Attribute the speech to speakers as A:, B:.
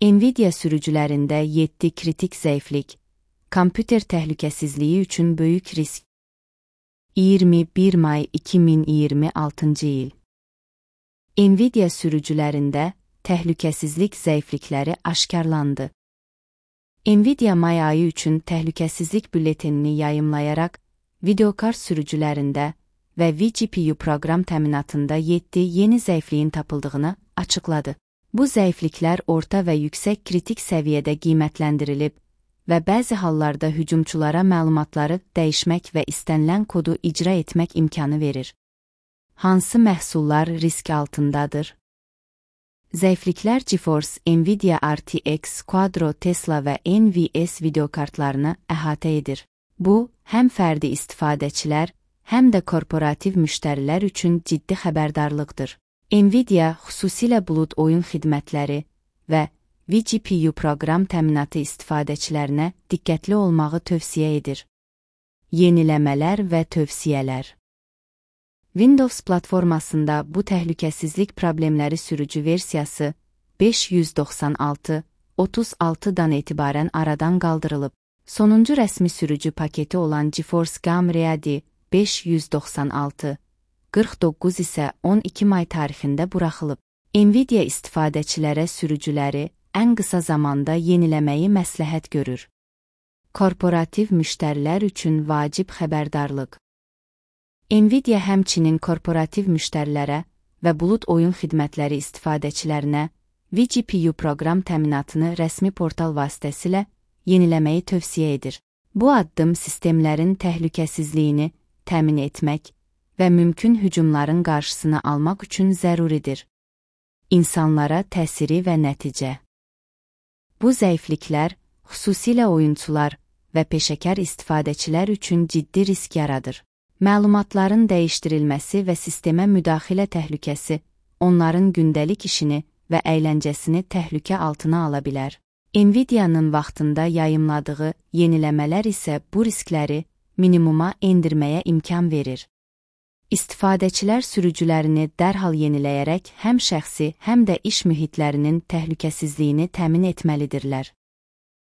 A: Nvidia sürücülərində 7 kritik zəiflik, kompüter təhlükəsizliyi üçün böyük risk. 21 may 2026-cı il. Nvidia sürücülərində təhlükəsizlik zəiflikləri aşkarlandı. Nvidia may ayı üçün təhlükəsizlik bülletenini yayımlayaraq, videokart sürücülərində və vGPU proqram təminatında 7 yeni zəifliyin tapıldığını açıqladı. Bu zəifliklər orta və yüksək kritik səviyyədə qiymətləndirilib və bəzi hallarda hücumçulara məlumatları dəyişmək və istənilən kodu icra etmək imkanı verir. Hansı məhsullar risk altındadır? Zəifliklər GeForce, Nvidia RTX, Quadro, Tesla və NVS videokartlarını əhatə edir. Bu, həm fərdi istifadəçilər, həm də korporativ müştərilər üçün ciddi xəbərdarlıqdır. Nvidia xüsusilə bulud oyun xidmətləri və vGPU proqram təminatı istifadəçilərinə diqqətli olmağı tövsiyə edir. Yeniləmələr və tövsiyələr. Windows platformasında bu təhlükəsizlik problemləri sürücü versiyası 596.36-dan etibarən aradan qaldırılıb. Sonuncu rəsmi sürücü paketi olan GeForce GAM Ready 596.49 isə 12 may tarixində buraxılıb. Nvidia istifadəçilərə sürücüləri ən qısa zamanda yeniləməyi məsləhət görür. Korporativ müştərilər üçün vacib xəbərdarlıq. Nvidia həmçinin korporativ müştərilərə və bulud oyun xidmətləri istifadəçilərinə vGPU proqram təminatını rəsmi portal vasitəsilə yeniləməyi tövsiyə edir. Bu addım sistemlərin təhlükəsizliyini təmin etmək və mümkün hücumların qarşısını almaq üçün zəruridir. İnsanlara təsiri və nəticə. Bu zəifliklər, xüsusilə oyunçular və peşəkar istifadəçilər üçün ciddi risk yaradır. Məlumatların dəyişdirilməsi və sistemə müdaxilə təhlükəsi onların gündəlik işini və əyləncəsini təhlükə altına ala bilər. Nvidia'nın vaxtında yayımladığı yeniləmələr isə bu riskləri minimuma endirməyə imkan verir. İstifadəçilər sürücülərini dərhal yeniləyərək həm şəxsi, həm də iş mühitlərinin təhlükəsizliyini təmin etməlidirlər.